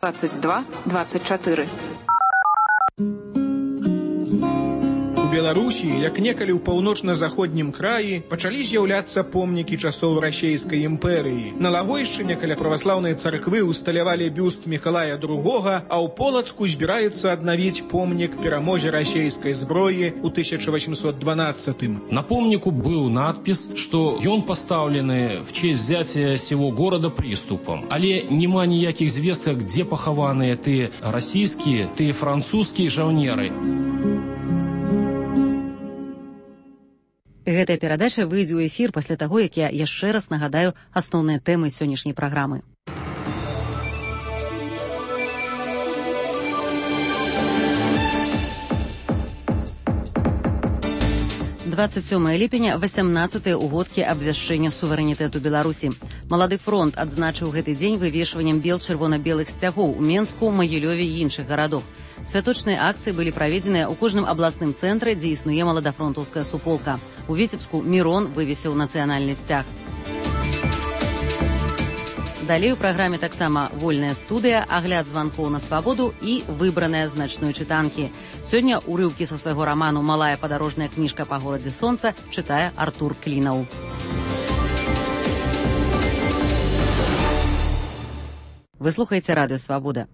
22-24. У Беларусі, як некалі ў паўночна-заходнім краі, пачалі з'яўляцца помнікі часоў расейскай імперыі. На Лагойшчыне каля праваслаўнай царквы усталявалі бюст Мікалая II, а ў Полацку збіраецца аднавіць помнік перамозе расейскай зброі ў 1812. На помніку быў надпіс, што ён пастаўлены в честь взятия сего города приступом. Але няма ніякіх звестак, дзе пахаваныя тыя расійскія, тыя французскія жаўнеры. Гэтая перадача выйдзе ў эфір пасля таго, як я яшчэ раз нагадаю асноўныя тэмы сённяшняй праграмы. 27 ліпеня, 18-е угодкі абвяшчэння суверэнітэту Беларусі. Малады фронт адзначыў гэты дзень вывешваннем бел чырвона-белых сцягоў у Менску, Магілёве і іншых гарадах. Святочныя акцыі былі праведзеныя ў кожным абласным цэнтры, дзе існуе маладафронтаўская суполка. У Віцебску Мірон вывесіў нацыянальны сцяг. Далей у праграме таксама вольная студыя, агляд званкоў на свабоду і выбраныя з начной чытанкі. Сёння урыўкі са свайго раману «Малая падарожная кніжка па горадзе сонца» чытае Артур Клінаў. Вы слухаеце радыё «Свабода».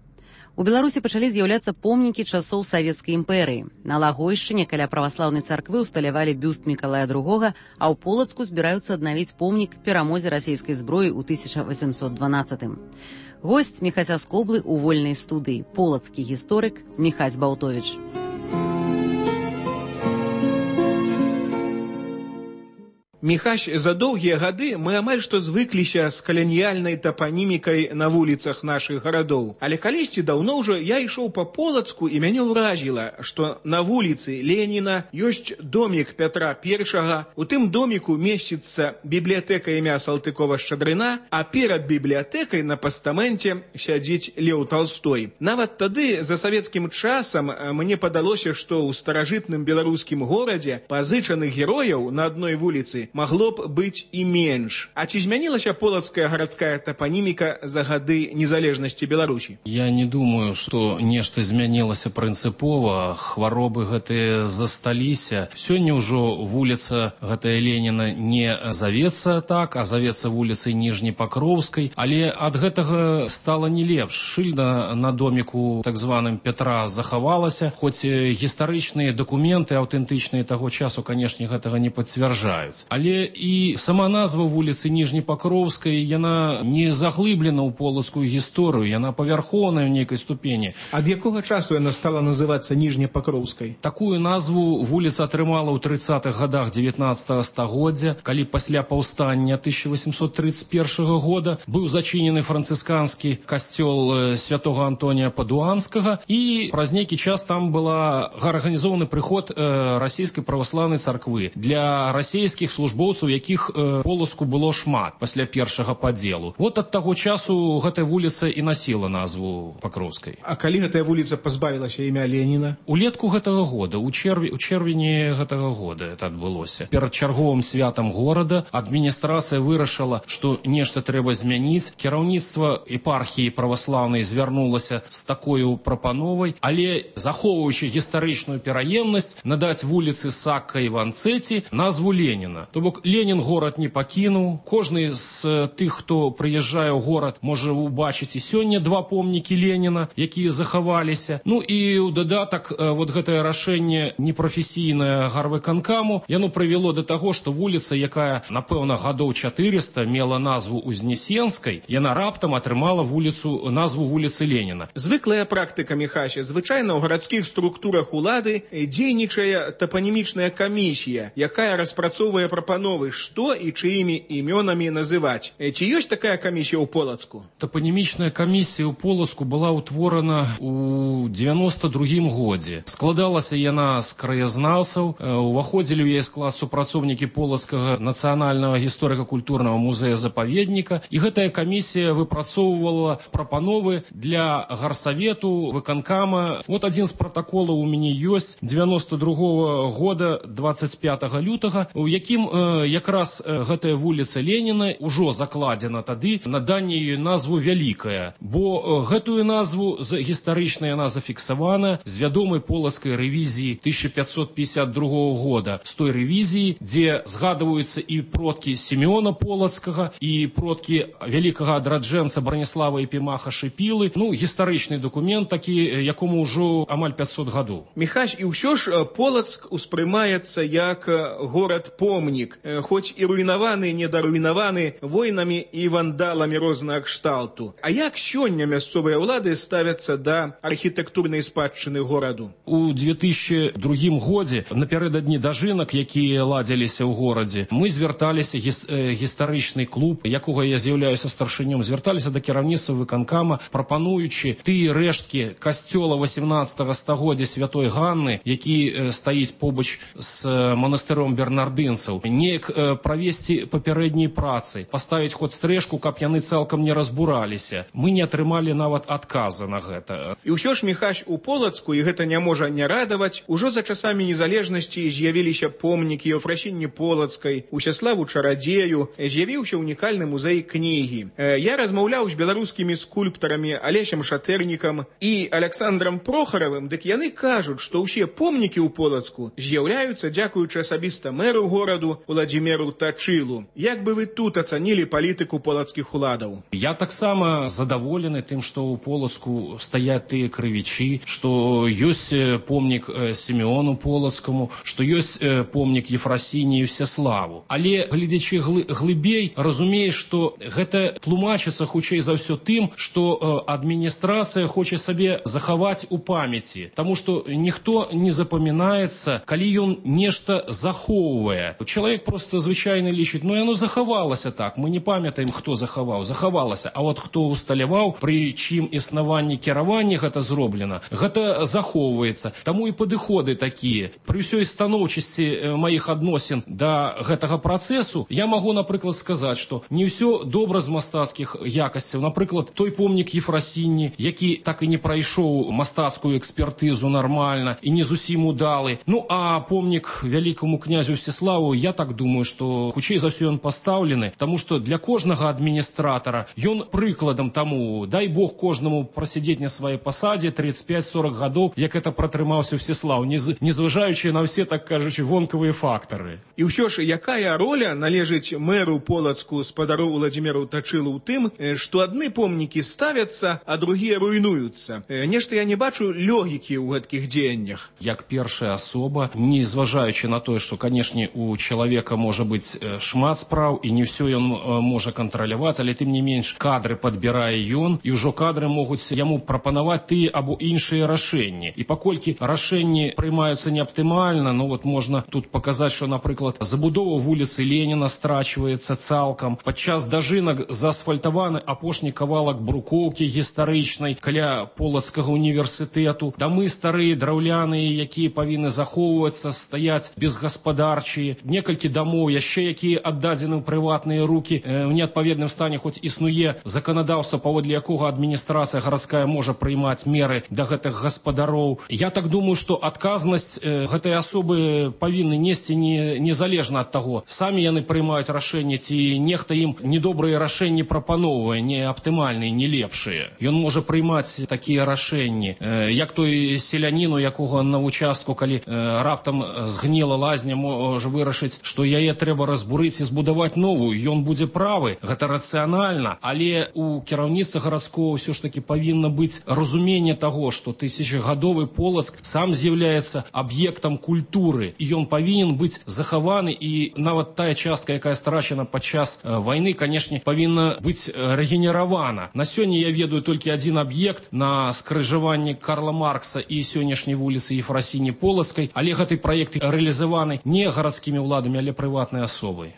У Беларусі пачалі з'яўляцца помнікі часоў савецкай імперыі. На Лагойшчыне каля праваслаўнай царквы усталявалі бюст Мікалая II, а ў Полацку збіраюцца аднавіць помнік перамозе расійскай зброі ў 1812. Госць Міхася Скоблы ў вольнай студыі, полацкі гісторык Міхась Баўтовіч. Міхась, за доўгія гады мы амаль што звыкліся з каланіяльнай тапанімікай на вуліцах нашых гарадоў. Але калісьці даўно ўжо я ішоў па Полацку і мяне ўражіла, што на вуліцы Леніна ёсць домік Пятра I, у тым доміку месціцца бібліятэка імя Салтыкова-Шчадрына, а перад бібліятэкай на пастаменце сядзіць Леў Талстой. Нават тады, за савецкім часам, мне падалося, што ў старажытным беларускім горадзе пазычаных герояў на адной вуліцы магло б быць і менш. А ці змянілася полацкая гарадская тапаніміка за гады незалежнасці Беларусі? Я не думаю, што нешта змянілася прынцыпова, хваробы гэтыя засталіся. Сёння ўжо вуліца гэтая Леніна не завецца так, а завецца вуліцай Ніжнепакроўскай, але ад гэтага стала не лепш. Шыльда на доміку так званым Пятра захавалася, хоць гістарычныя дакументы аўтэнтычныя таго часу, канешне, гэтага не пацвярджаюць. Але і сама назва вуліцы Ніжнепакроўскай, яна не заглыблена ў полацкую гісторыю, яна павярхоўная ў нейкай ступені. Ад якога часу яна стала называцца Ніжнепакроўскай? Такую назву вуліца атрымала ў 30-х гадах 19 стагоддзя, калі пасля паўстання 1831 года быў зачынены францысканскі касцёл святога Антонія Падуанскага, і праз нейкі час там была арганізованы прыход расійскай праваслаўнай царквы. Для расійскіх службоўцаў, якіх Полацку было шмат пасля першага падзелу. Вот ад таго часу гэтая вуліца і насіла назву Пакроўскай. А калі гэтая вуліца пазбавілася імя Леніна? Улетку гэтага года, у чэрвені гэтага года это адбылося. Перад чарговым святам горада адміністрацыя вырашыла, што нешта трэба змяніць. Кіраўніцтва епархіі праваслаўнай звярнулася з такою прапановай, але захоўваючы гістарычную пераемнасць, надаць вуліцы Сакка і Ванцэці назву Леніна. То бок Ленін горад не пакінуў. Кожны з тых, хто прыязджае ў горад, можа убачыць і сёння два помнікі Леніна, якія захаваліся. Ну і ў дадатак вот гэтае рашэнне непрафесійнае гарвыканкаму, яно прывяло да таго, што вуліца, якая, напэўна, гадоў 400 мела назву Узнесенскай, яна раптам атрымала назву вуліцы Леніна. Звыклая практыка, Міхася. Звычайна ў гарадскіх структурах улады дзейнічае тапанімічная камісія, якая распрацоўвае прапановы, што і чыімі імёнамі называць. Ці ёсць такая камісія ў Полацку? Тапанімічная камісія ў Полацку была ўтворана ў 92-м годзе. Складалася яна з краязнаўцаў, уваходзілі ў яе склад супрацоўнікі Полацкага нацыянальнага гісторыка-культурнага музея-запаведніка, і гэтая камісія выпрацоўвала прапановы для гарсавету, выканкама. Вот адзін з пратаколаў у мяне ёсць 92-го года 25 лютага, у якім якраз гэтая вуліца Леніна ўжо закладзена тады на данне ёй назву Вялікая, бо гэтую назву гістарычна яна зафіксавана з вядомай полацкай рэвізіі 1552 года, з той рэвізіі, дзе згадваюцца і продкі Сімеона Полацкага, і продкі вялікага адраджэнца Браніслава Епімаха Шыпілы, гістарычны дакумент такі, якому ўжо амаль 500 гадоў. Міхась, і ўсё ж Полацк успрымаецца як горад-помнік, хоць і руйнаваны, недаруйнаваны войнамі і вандаламі рознага кшталту. А як сёння мясцовыя ўлады ставяцца да архітэктурнай спадчыны гораду? У 2002 годзе, напярэдадні дажынак, якія ладзіліся ў горадзе, мы звярталіся, гістарычны клуб, якога я з'яўляюся старшынём, звярталіся да кіраўніцтва выканкама, прапануючы тыя рэшткі касцёла 18 стагоддзя Святой Ганны, які стаіць побач з манастыром бернардынцаў, неяк правесці папярэднія працы, паставіць хоць стрэшку, каб яны цалкам не разбураліся. Мы не атрымалі нават адказа на гэта. І ўсё ж, Міхась, у Полацку, і гэта не можа не радаваць, ужо за часамі незалежнасці з'явіліся помнікі Еўфрасіні Полацкай, Усяславу Чарадзею, з'явіўся унікальны музей кнігі. Я размаўляў з беларускімі скульптарамі Алесем Шатэрнікам і Александрам Прохаравым, дык яны кажуць, што ўсе помнікі ў Полацку з'яўляюцца дзякуючы асабіста мэру гораду Уладзіміру Тачылу. Як бы вы тут ацанілі палітыку полацкіх уладаў? Я таксама задаволены тым, што ў Полацку стаяць тыя крывічы, што ёсць помнік Сімеону Полацкаму, што ёсць помнік Ефрасіні і Всеславу. Але, глядзячы глыбей, разумееш, што гэта тлумачыцца хутчэй за ўсё тым, што адміністрацыя хоча сабе захаваць у памяці, таму што ніхто не запамінаецца, калі ён нешта захоўвае. Чалавек просто звычайна лічыць, яно захавалася так, мы не памятаем, хто захаваў, захавалася, а от хто усталяваў, пры чым існаванні кіравання гэта зроблена, гэта захоўваецца. Таму і падыходы такія. Пры ўсёй станоўчасці маіх адносін да гэтага працэсу я магу, напрыклад, сказаць, што не ўсё добра з мастацкіх якасцяў. Напрыклад, той помнік Ефрасіні, які так і не прайшоў мастацкую экспертызу нармальна і не зусім удалы. А помнік вялікаму князю Всеславу, я так думаю, што хутчэй за ўсё ён пастаўлены, таму што для кожнага адміністратара ён прыкладам таму, дай Бог кожнаму прасядзець на сваёй пасадзе 35-40 гадоў, як это пратрымаўся Всеслаў, незважаючы на ўсе, так кажучы, вонкавыя фактары. І ўсё ж, якая роля належыць мэру Полацку спадару Уладзіміру Тачылу ў тым, што адны помнікі ставяцца, а другія руйнуюцца? Нешта я не бачу логікі ў гэткіх дзеяннях. Як першая асоба, не зважаючы на тое, што, канешне, у чалавека можа быць шмат спраў, і не ўсё ён можа кантраляваць, але тым не менш кадры падбірае ён, і ўжо кадры могуць яму прапанаваць тыя або іншыя рашэнні. І паколькі рашэнні прымаюцца неаптымальна, можна тут паказаць, што, напрыклад, забудова вуліцы Леніна страчваецца цалкам. Падчас дажынак заасфальтаваны апошні кавалак брукоўкі гістарычнай каля Полацкага універсітэту. Дамы старыя, драўляныя, якія павінны захоўвацца, стаяць безгаспадарчыя. Некалькі дамоў яшчэ, якія аддадзены ў прыватныя рукі, у неадпаведным стане, хоць існуе заканадаўства, паводле якога адміністрацыя гарадская можа прыймаць меры да гэтых гаспадароў. Я так думаю, што адказнасць гэтай асобы павінны несці незалежна ад таго, самі яны прымаюць рашэнне, ці нехта ім недобрыя рашэнні прапаноўвае, не аптымальныя, не лепшыя. Ён можа прымаць такія рашэнні, як той селянін, у якога на участку, калі раптам згніла лазня, можа вырашыць, што яе трэба разбурыць і збудаваць новую. Ён будзе правы, гэта рацыянальна, але у кіраўніцтва гарадскога ўсё ж такі павінна быць разуменне таго, што тысячагадовы Полацк сам з'яўляецца аб'ектам культуры, і ён павінен быць захаваны, і нават тая частка, якая страчана падчас вайны, канешне, павінна быць рэгенеравана. На сёння я ведаю толькі адзін аб'ект на скрыжаванні Карла Маркса і сённяшняй вуліцы Ефрасіні Полацкай, але гэты праект рэалізаваны не гарадскімі ўладамі, але прыватнай асобай.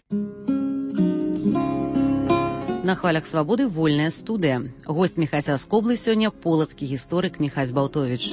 На хвалях свабоды вольная студыя. Госць Міхася Скоблы сёння полацкі гісторык Міхась Балтовіч.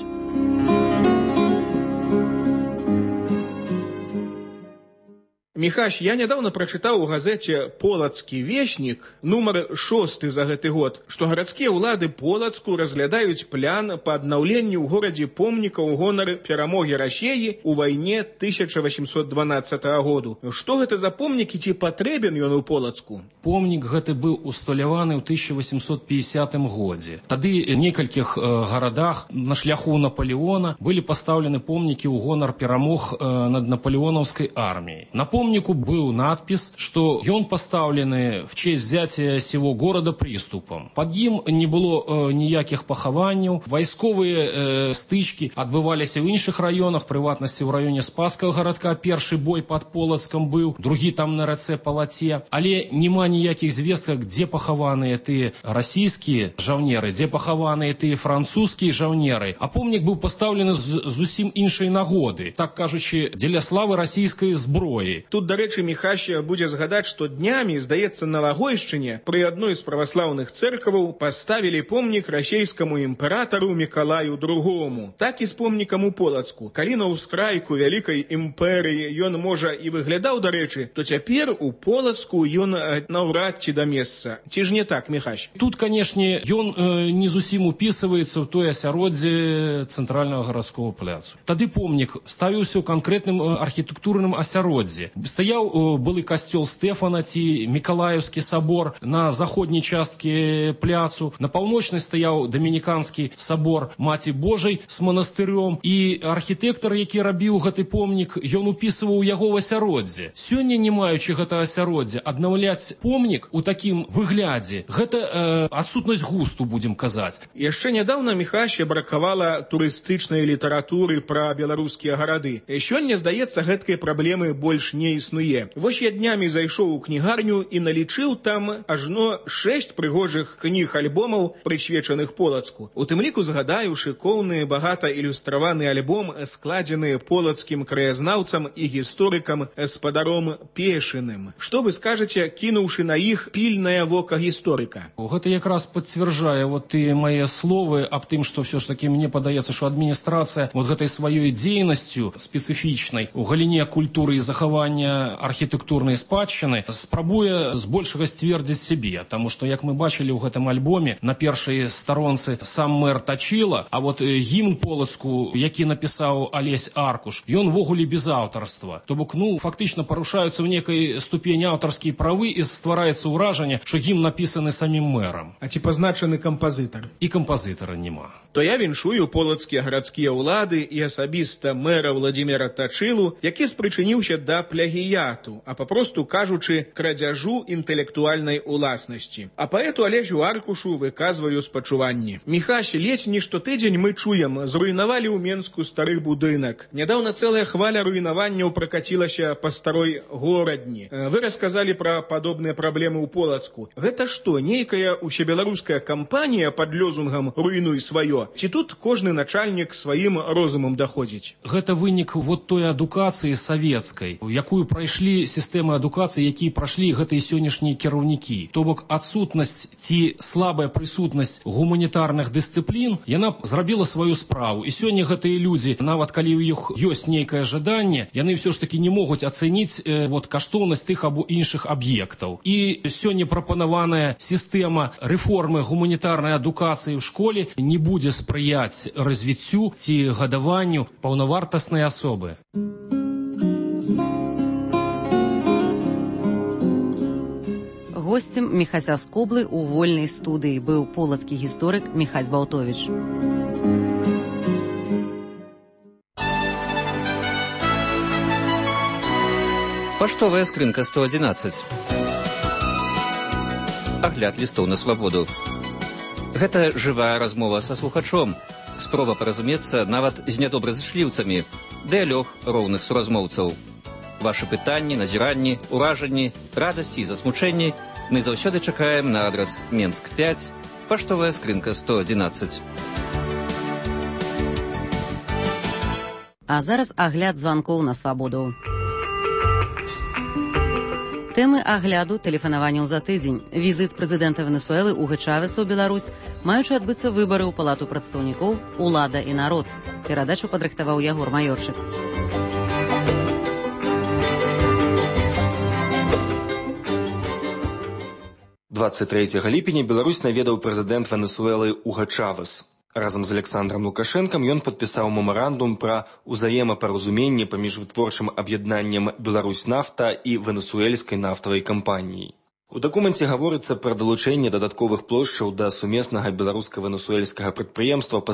Міхась, я нядаўна прачытаў у газеце «Полацкі вешнік», нумар 6 за гэты год, што гарадскія ўлады Полацку разглядаюць план па аднаўленню ў горадзе помнікаў у гонар перамогі Расеі ў вайне 1812 году. Што гэта за помнік і ці патрэбен ён у Полацку? Помнік гэты быў усталяваны ў 1850 годзе. Тады в некалькіх гарадах на шляху Наполеона былі пастаўлены помнікі ў гонар перамог над наполеонаўскай арміяй. На помнику был надпись, что он поставлены в честь взятия сего города приступом. Под ним не было ніяких пахаванняў, вайсковыя стычкі адбываліся ў іншых раёнах, прыватнасці ў раёне Спасскага гарадка. Першы бой под Полацкам быў, другі там на рацэ Палаце. Але няма ніякіх звестак, дзе пахаваныя тыя расійскія жаўнеры, дзе пахаваныя тыя французскія жаўнеры. А помнік быў пастаўлены з зусім іншай нагоды, так кажучы, дзеля славы расійскай зброі. Тут, дарэчы, Міхась будзе згадаць, што днямі, здаецца, на Лагойшчыне пры адной з праваслаўных цэркваў паставілі помнік расейскаму імператару Мікалаю II. Так і з помнікам у Полацку. Калі на ўскрайку вялікай імперыі ён, можа, і выглядаў, дарэчы, то цяпер у Полацку ён наўрад ці да месца. Ці ж не так, Міхась? Тут, канешне, ён не зусім упісваецца ў тое асяроддзе цэнтральнага гарадскога пляцу. Тады помнік ставіўся ў канкрэтным архітэктурным асяроддзі. Стаяў былы касцёл Стэфана ці Мікалаеўскі сабор на заходняй часткі пляцу. На паўночнай стаяў дамініканскі сабор Маці Божай з манастыром. І архітэктар, які рабіў гэты помнік, ён упісваў яго ў асяроддзе. Сёння, не маючы гэта асяроддзя, аднаўляць помнік у такім выглядзе, гэта адсутнасць густу, будзем казаць. Яшчэ нядаўна, Міхась, бракавала турыстычнай літаратуры пра беларускія гарады. Сёння, здаецца, гэткай праблемы больш не існуе. Вось я днямі зайшоў у кнігарню і налічыў там ажно 6 прыгожых кніг-альбомаў, прысвечаных Полацку. У тым ліку згадаю шыкоўны, багата ілюстраваны альбом, складзены полацкім краязнаўцам і гісторыкам спадаром Пешыным. Што вы скажаце, кінуўшы на іх пільнае вока гісторыка? Гэта якраз пацвярджае вот тыя мае словы аб тым, што все ж таки мне падаецца, што адміністрацыя вот гэтай сваёй дзейнасцю спецыфічнай у галіне культуры і захавання архітэктурнай спадчыны спрабуе збольшага сцвердзіць сябе, таму што, як мы бачылі ў гэтым альбоме, на першай старонцы сам мэр Тачыла, а вот гімн Полацку, які напісаў Алесь Аркуш, ён ввогуле без аўтарства. То бок, фактычна парушаюцца ў некай ступені аўтарскія правы і ствараецца ўражанне, што гімн напісаны самім мэрам. А ці пазначаны кампазітар? І кампазітара няма. То я віншую полацкія гарадскія ўлады і асабіста мэра Владзіміра Тачылу, які спрычыніўся да плагіяту, а папросту кажучы, крадзяжу інтэлектуальнай уласнасці. А паэту Алесю Аркушу выказваю спачуванні. Міхась, ледзь не штотыдзень мы чуем, зруйнавалі ў Менску стары будынак. Нядаўна цэлая хваля руйнаванняў пракацілася па старой горадні. Вы расказалі пра падобныя праблемы ў Полацку. Гэта што, нейкая усебеларуская кампанія пад лёзунгам «руйнуй сваё»? Ці тут кожны начальнік сваім розумам даходзіць? Гэта вынік вот той адукацыі савецкай, якую прайшлі сістэмы адукацыі, якія прашлі гэтыя сённяшнія кіраўнікі. То бок адсутнасць ці слабая прысутнасць гуманітарных дысцыплін, яна зрабіла сваю справу. І сёння гэтыя людзі, нават калі ў іх ёсць нейкае жаданне, яны ўсё ж такі не могуць ацэніць каштоўнасць тых або іншых аб'ектаў. І сёння прапанаваная сістэма рэформы гуманітарнай адукацыі ў школе не будзе спрыяць развіццю ці гадаванню паўнавартаснай асобы. Госцем Міхася з Коблы ў вольнай студыі быў полацкі гісторык Міхась Балтовіч. Паштовая скрынка 111. Агляд лістоў на свабоду. Гэта жывая размова са слухачом, спроба паразумецца нават з нядобразышліўцамі, дыялог роўных суразмоўцаў. Вашы пытанні, назіранні, уражанні, радасці і засмучэнні мы заўсёды чакаем на адрас Менск 5, паштовая скрынка 111. А зараз агляд званкоў на свабоду. Тэмы агляду тэлефанаванняў за тыдзень. Візіт прэзідэнта Венесуэлы Уга Чавеса ў Беларусь, маючы адбыцца выбары ў Палату прадстаўнікоў, улада і народ. Перадачу падрыхтаваў Ягор Маёрчык. 23 ліпеня Беларусь наведаў прэзідэнт Венесуэлы Уга Чавес. Разам з Александром Лукашэнкам ён падпісаў мемарандум пра ўзаемапаразуменне паміж вытворчым аб'яднаннем «Беларусь-Нафта» і венесуэльскай нафтавай кампаніяй. У дакуменце гаворыцца пра далучэнне дадатковых плошчаў да сумеснага беларуска-венесуэльскага прадпрыемства па